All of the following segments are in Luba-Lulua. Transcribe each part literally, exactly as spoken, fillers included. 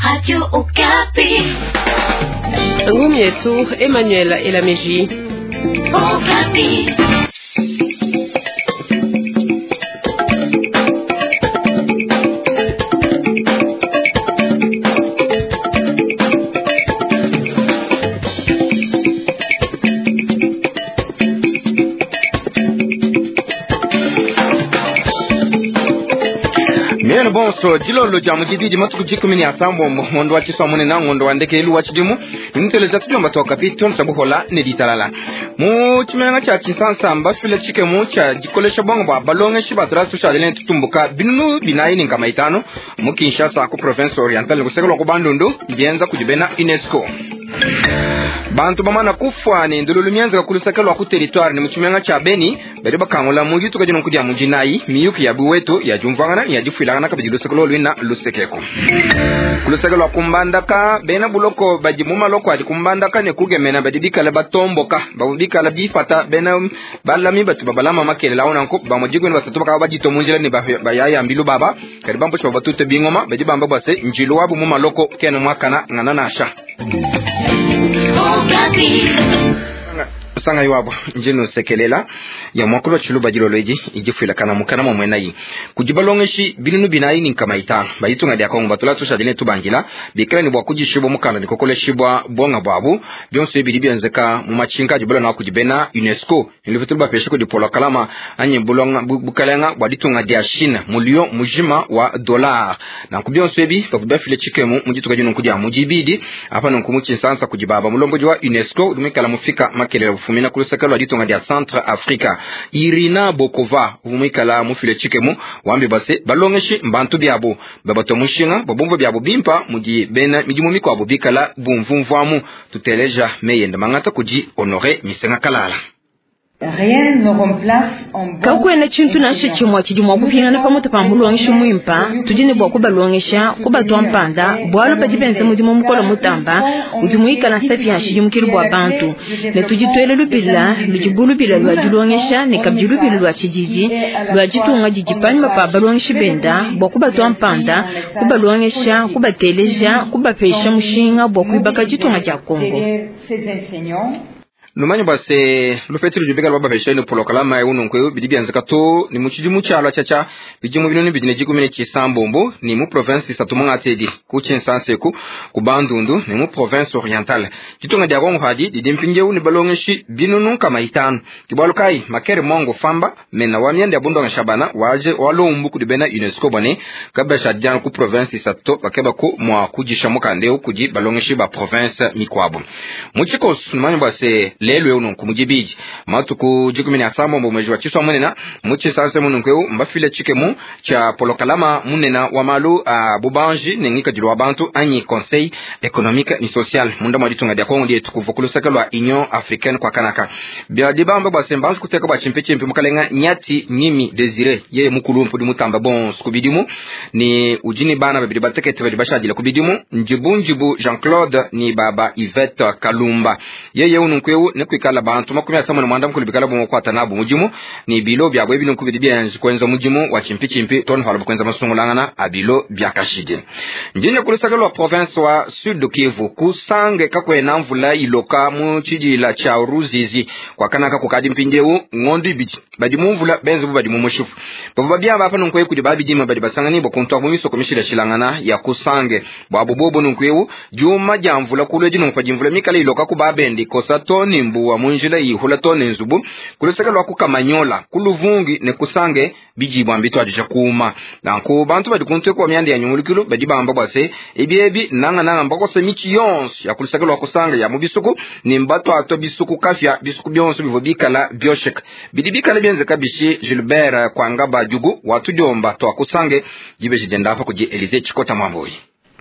Radio Okapi. Ngumi yetu Emmanuel Elameji. Okapi. Miene bonso dilolo dia mudididi matuku dikumi ne asambombo ngondo wa tshisua munene ngondo wa ndekelu wa tshidimu ninteleja tudiomba tua kapi tonsa buhola ne ditalala mu tshimenga tshia tshinsansamba fila tshikemu tshia dikolesha bongo bua balongeshi batula tushadile tutumbuka binunu binayi ne nkama itanu mu Kinshasa ku province orientale kuseka lua ku Bandundu bienza kudi bena UNESCO. Bantu bamana kufwa ne ndululu mienzeka ku luseke lua ku territoire ne mu tshimenga tshia Beni badi bakangula mu dituka dino kudia mujinayi miyuki ya buwetu ya diumvuangana ne ya difuilangana kabidi luseke loluina lusekeko ku luseke lua kumbandaka bena buloko badi mu maloko adi kumbandaka ne kugemena badi bikala batomboka bavua bikala bifata bena balami batu babalama makelela awu nanku bamue dikumi ne basatu bakaba baditua mu njila ne bayaya mbilu baba kadi bamposhi bavua batute bingoma badi bamba bua se njilu wabu mu maloko kena muakana ngana nasha Okapi. Sanga iwabo njino sekelela ya mwakulu wa tshiluba dilolo edi idifuilakana mukana mwa mwenayi kudi balongeshi binunu binayi ni nkama itanu bayitunga dia Kongo batula tushadile tubangila bikala ne bua kudishibwa mukanda ne kokoleshibwa bonga bwabu bionso ebi bidi bienzeka mu matshinka adi bulona kudi bena UNESCO ne bapesha kudi Polo Kalama anyi bulonga bukalenga bua ditunga dia Chine mulio mujima wa dollar nanku bionso ebi bavua bafile tshikemu mu dituka dino kudia mudibidi apa nunku mu tshinsansa kudi baba mulombodi wa UNESCO udi muikala mufika makelele bufumina ku luseke lua ditunga dia Centre Africa Irina Bokova uvua muikala mufile tshikemu wambi base balongeshi mbantu biabu babatwa mushinga babumva biabu bimpa mudi bena midimu mikuabu bikala bumvumvuamu tuteleja meyenda mangata kudi Honore Misenga Kalala. Kakuena tshintu nansha tshimue tshidi mua kupingana pamutu pa mulongeshi muimpa tudi ne bua kubalongesha kubatua mpanda bualu badi benza mudimu mukole mutamba udi muikala nsapi ya nshidimukilu bua bantu ne tudi tuela lubila ludi bu lubila lua dilongesha ne kabidi lubila lua tshididi lua ditunga didi panyima pa balongeshi benda bua kubatua mpanda kubalongesha kubateleja kubapesha mushinga bua kuibaka ditunga dia Kongo. Numanye bua se lupetelo ludi bikala babapesha ne polokalama eu nunku eu bidi bienzeka to ni mu tshidimu tshialua tshiatshia bidimu binunu bidi ne dikumi ne tshisambombo ni mu province isatu mungati edi ku tshinsanseku ku Bandundu ni mu province orientale ditunga dia Kongo hadi didi mpindieu ne balongeshi binunu nkama itanu kibualu kayi makere mongo famba mena wa mianda ya bundongesha bana waje walombu kudi bena UNESCO bone kabasha diana ku province isatu bakeba ku mua kudisha mukanda eu kudi balongeshi ba province mikuabu mu tshikoso numanye bua se lelu eu nunku mudibidi matuku dikumi ne asambombo mwezi wa tshisua munena mu tshisanse mununku eu mbafile tshikemu tshia polokalama munena wa malu a bubanji ne ngikadilu wa bantu anyi conseil économique ni social munda mwa ditunga dia Kongo dietu kuva ku luseke lua Union africaine kwa kanaka bia dibamba bua se mbanji kuteka bua tshimpe mukalenga nyati nyimi Desire yeye mukulu mpudi mutamba bonso ku bidimu ni udi ni bana babidi batekete badi bashadile ku bidimu njibu njibu Jean Claude ni baba Yvette Kalumba yeye ununku eu ne kuikala bantu makumi asambombo ne mwanda mukulu bikala bumwe kukwata nabu mudimu ni bilo byabo ebi nunku bidi byenzi kwenza mudimu wa chimpi tonu hala kwenza masungulangana a bilo bya kashidi njinye kulusaka lwa province wa Sud Kivu kusange kakwena mvula iloka mu tshidila tshia Ruzizi kwakanaka kukadi mpindieu ngondo ibidi badi mu mvula benze bu badi mu mushufu bavua babyamba apa nunku eu kudi babidima badi basanganibwa kuntwa mu misoko mishilashilangana ya kusange bwabo bobo nunku eu diuma dia mvula kulwe dinunku padi mvula mikala iloka ku babendi kosa toni mbuwa munjila ihula toni nzubu kuluseke lwa kukamanyola kuluvungi ne kusange bijibwa mbitwadisha kuma nanku bantu badi kuntwe kwa myanda ya nyungulukilu badi bamba bwa se ebi ebi nanga nanga mbakose michi yonso ya kuluseke lwa kusanga ya mu bisuku ni mbatwatwa bisuku kafya bisuku byonso bivua bikala byosheka bidi bikala byenzeka bishi Gilbert Kwangaba Jugu watudiomba twakusange jibeshi jenda apa kudi Elise Chikota Mwamboyi.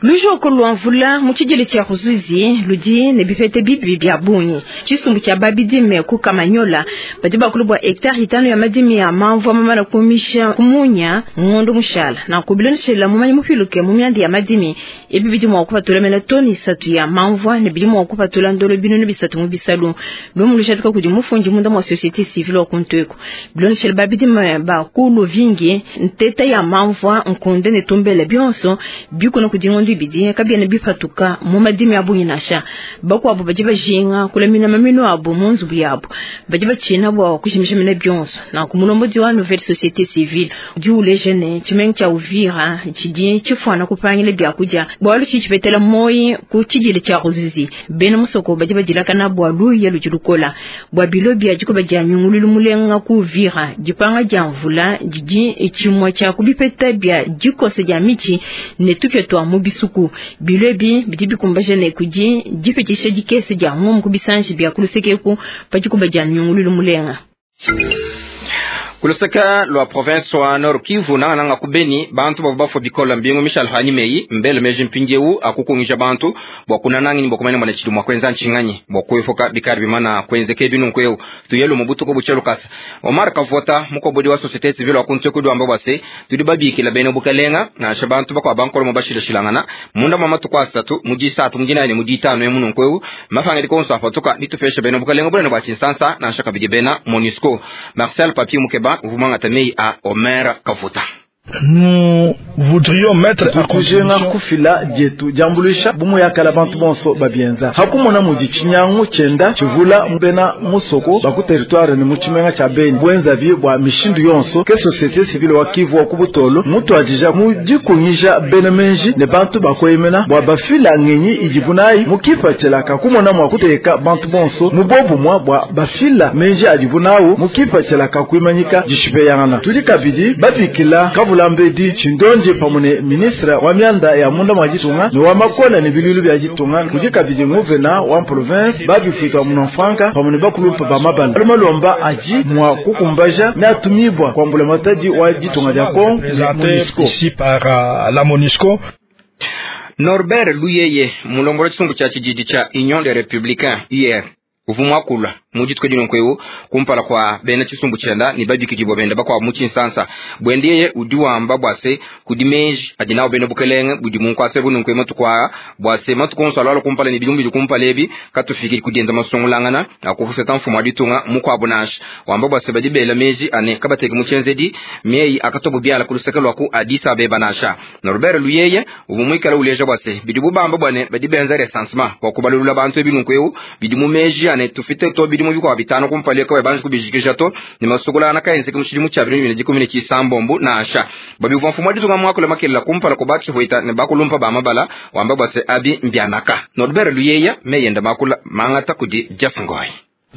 Lujoko lua mvula mu tshidile tshia Ruzizi ludi ne bipete bibi bia bungi tshisumbu tshia babidime ku Kamanyola badi bakulu bua hectare itanu ya madimi ya mamvua mamana kumisha kumunya ngondo mushala na kubiloneshela mumanyi mupiluke mu myanda ya madimi ebi bidi mua kupatula mena toni isatu ya mamvua ne bidi mua kupatula ndolo binunu bisatu mu bisalu lumu lushatika kudi mufundi munda mua société civile wa kuntweko biloneshela babidime bakulu vingi nteta ya mamvua nkunde ne tumbele bionso bikuna kudi ngondo ngondu ibidi kabiena bipatuka mu madimi a bungi nansha. Bakuabu badi bajinga kulamina maminu abu mu nzubu yabu, badi batshina bua kujimisha mene bionso. Nanku mulombodi wa Nouvelle Société Civile udi uleja ne tshimenga tshia Uvira tshidi tshifuana kupangila biakudia bualu tshidi tshipetela moyi ku tshidile tshia Ruzizi. Bena musoko badi badilakana bua luya ludi lukola bua bilo bia dikoba dia nyungululu mulenga ku Uvira. Dipanga dia mvula didi tshimue tshia kubipeta bia dikosa dia mitshi ne tupia tua mu bisuku. Bilo ebi bidi bikumbaja ne kudi dipitshisha dikese dia ngomu ku bisanji bia kulusekeku pa dikoba dia nyungululu mulenga. Kuluseka lwa province wa Nord Kivu nangananga ku Beni bantu bavua bafua bikola mbingu Michel Hanimei mbele meji mpindiewu akukungija bantu bua kunanangi bua kumanya mwana tshidi mua kuenza ntshinganyi bua kuepuka bikari bimana kuenzeka binunku eu tuyelu mu butuku butshe lukasa. Omar Kavota mukobodi wa société civile wa kuntu kudu amba bwase tudi babikila bene bukalenga nansha bantu bakwa bankolo mu bashilashilangana munda mwa matuku asatu mu disatu mu dinane mu ditanu emununku eu mafanga dikonso apatuka ditupesha bene bukalenga bunene bua Tshinsansa nansha kabidi bena MONUSCO. Marcel Papi Mukeba uvumanga tamei a Omer Kavuta. Nous voudrions mettre à contribution kufila dietu diambuluisha bumu yakala bantu bonso babienza hakumona mudi tshinyangu tshienda tshivula mbena musoko baku territoire ni mu tshimenga tshia Beni bwenza bi bua mishindu yonso ke société civile wa Kivu wa kubutolo mutu adija mu dikunyija bena menji ne bantu bakoyemena bua bafila ngenyi idibunayi mukipa kumona mua kuteka bantu bonso mu bobumwa bua bafila menji adibunawu mukipa tshelaka kuimanyika dishipeyangana tudi kabidi babikila Lambedi Chindonje pamune ministre wa mianda ya munda mwa ditunga ne wa makola ne bilulu bya ditunga kudi kabidi nguvena wa province babifuitwa munofranka pamune bakulumpa ba mabala alumalomba aji mwa kukumbaja ne atumibwa kwa mbula matadi wa ditunga dia Kongo MONUSCO ici par uh, la MONUSCO. Norbert Luyeye mulongola tshisungu tshia tshididi tshia Union des Républicains U R uvumwakula mujitwe dino nkwewu kumpala kwa bena tshisumbu tshienda ni babikidibwa benda bakwa mu Tshinsansa bwendeye udi wamba bwase kudi meji adi nawo bena bukelenge budi munkwase bunu nkwe matukwa bwase matukonso alwalo kumpala ni bilumbi kumpala ebi katufikiri kudienza masungulangana akufeta mfumo aditunga mukwabo nasha wamba bwase badi bela meji ane kabateke mu tshenzedi meyi akatobo byala kuluseke lwaku Addis Abeba nasha Norbert Luyeye ubumwikala uleja bwase bidi bubamba bwane badi benza recensement kwa kubalulula bantu ebinu nkwewu bidi mu meji ane tufite to bidi mu bikwa bitano kumpale kwa banji kubijikisha to ni masukula na kaenze kumushidi tshia bibili na dikumi ne tshisambombo nasha babivu mfumo aditunga mwakula makelela kumpala kubachi huita ne bakulumpa ba mabala wamba bwase abi mbianaka Norbert Luyeye meyenda makula mangata kudi Jeff Ngoi.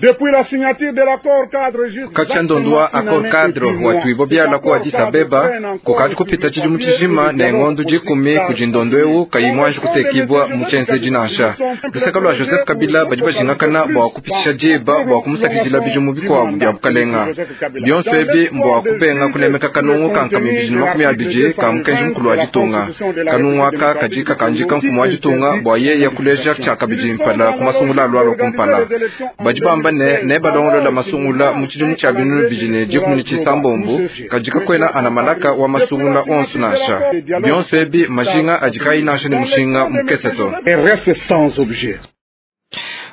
Depuis la signature de l'accord cadre juste kachandondwa accord cadre watuibo byala ku Addis Abeba kukati kupita tshidi mutshijima ne ngondo dikumi kujindondwewu kayimwanji kutekibwa mutshenzeji nansha luseka lwa Joseph Kabila badi bajingakana bua kupitisha diba bua kumusakidila bidimu bikuabu bia bukalenga bionso ebi mbua kubenga kunemeka kanungu kankami bijini makumi abidi ka mukenji mukulu wa ditunga kanungu aka kadi kakanjika mfumu wa ditunga bua yeye kuleja tshiakabidi mpala kumasungula alualua kumpala badi bamba ne ne balongolola masungula mu tshidimu tshia binunu bidi dikumi ne tshisambombo kadika kwena ana malaka wa masungula onso nansha bionso ebi majinga adi kayi nansha ne mushinga mukese to.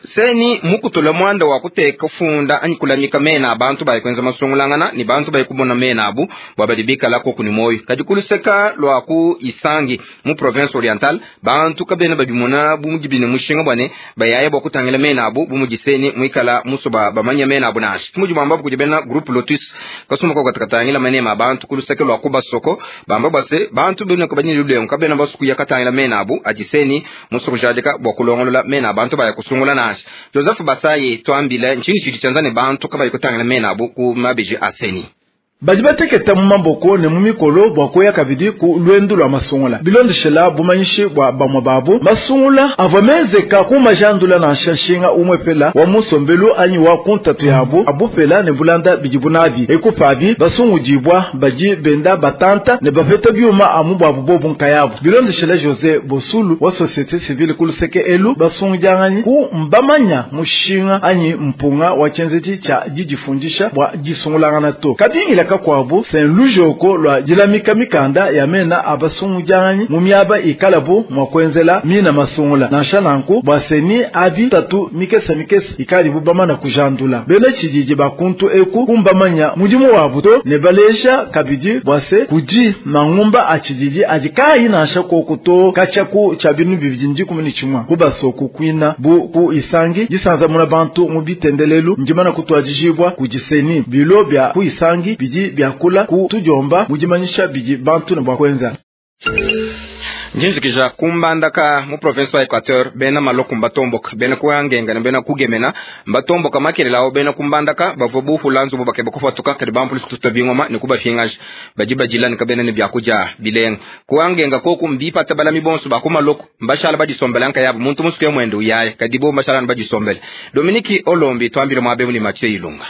Seni mukutula mwanda wa kuteka funda anyi kulamika mena abantu bayi kwenza masungulangana ni bantu bayi kubona mena abu bwabadibika lako kuni moyo kadi kuluseka lwa ku Isangi mu province orientale bantu kabena babimona bumudibine mushinga bwane bayaya bwa kutangila mena abu bumudiseni mwikala musoba bamanya mena abu nashi mujibu ambapo kujibena groupe Lotus kasuma kwa katakatangila manema abantu kuluseka lwa ku basoko bamba base bantu bena kabanyili lulengo kabena basuku yakatangila mena abu ajiseni musukujadika bwa kulongolola mena abantu bayi kusungula nashi Joseph Basaye twambile nchini chidi chanzane bantu kabayi kutangila mena abu ku mabiji aseni badi bateketa mu maboko ne mu mikolo bua kuya kabidi ku lwendu lwa masungula bilondeshela bumanyishi bua bamwe babu masungula avua menzeka ku majandula na nshanshinga umwe pela wa musombelu anyi wa kuntatu yabu abupela ne bulanda bidi bunabi ekupabi basungudibwa badi benda batanta ne bapeta byuma amu bwabu bobu nkayabu bilondeshela Jose Bosulu wa société civile kuluseke elu basungudianganyi ku mbamanya mushinga anyi mpunga wa tshenzedi tshia didifundisha bua disungulangana to kabingila kakuabu Saint Lujoko lwa dilamika mikanda ya mena abasungujanyi mu miaba ikalabu mwa kuenzela mina masungula nansha nanku bwa seni abi tatu mikesa mikesa ikali bubamana kujandula bena chididi bakuntu eku kumbamanya mudimu wa buto ne balesha kabidi bwase kudi mangumba achididi adikayi nansha kokuto kachaku cha binu bibidi ndikumi chimwa kubasoku kwina bu ku isangi disanza muna bantu mu bitendelelu ndimana kutwajijibwa kujiseni bilo bya ku isangi bidi byakula ku tujomba mujimanyisha bidi bantu ne bwa kwenza. Njinjikija kumbandaka mu province wa Equateur bena maloku mbatomboka bena kuyangenga ne bena kugemena mbatomboka makelelawo bena kumbandaka bavua buhula nzubu bakeba kufatuka kadi bampulisi kututa bingoma ne kubafingaja badi bajila ne kabena ne byakudia bilenga kuyangenga koku mbipata balami bonso bakumaloku mbashala badisombela nkayabu muntu musuke mwende uyaya kadi bo mbashala badisombela. Dominique Olombi twambile mwabe ni Mathieu Ilunga.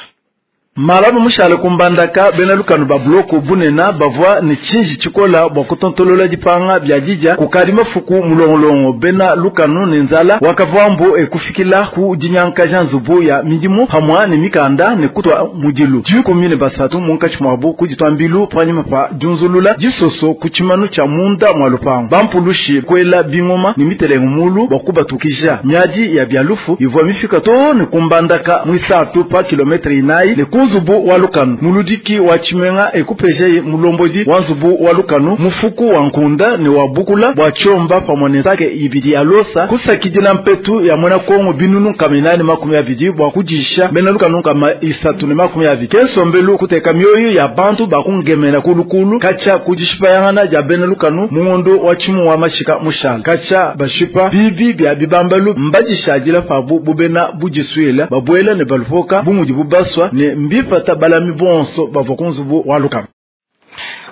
Malabu mushale kumbandaka bena lukanu ba bloko bunena bavua ne chinji chikola bwa kutontolola dipanga bya dija kukali mafuku mulongolongo bena lukanu ne nzala wakavambo ekufikila ku dinyanka janzubu ya midimu hamwa ne mikanda ne kutwa mudilu dikumi ne basatu munkachi mwabo kuditwambilu panyima pa junzulula disoso kuchimanu cha munda mwa lupango bampulushi kwela bingoma ni mitelengo mulu bwa kubatukisha miadi ya byalufu ivwa mifika to ne kumbandaka mwisatu pa kilometre inayi ne nzubu wa lukanu muludiki wa chimenga ekupeje mulombodi wa nzubu wa lukanu mufuku wa nkunda ne wa bukula bwa chomba pamwe sake ibidi ya losa kusakidila mpetu ya mwana Kongo binunu kaminani makumi abidi bwa kujisha bena lukanu kama isatu ne makumi abidi kensombelu kuteka mioyo ya bantu bakungemena kulukulu kacha kujishipa yangana ja bena lukanu mungondo wa chimu wa mashika mushala kacha bashipa bibi bya bibambalu mbajishadila pabu bubena bujiswela babwela ne balupoka bumudi bubaswa ne mbipata balami bonso bava kunzubu wa lukanu.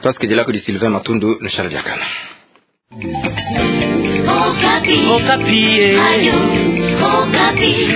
Twasikidila kudi Sylvain Matundu ne Charles Diakana. Okapi. Okapi. Radio Okapi.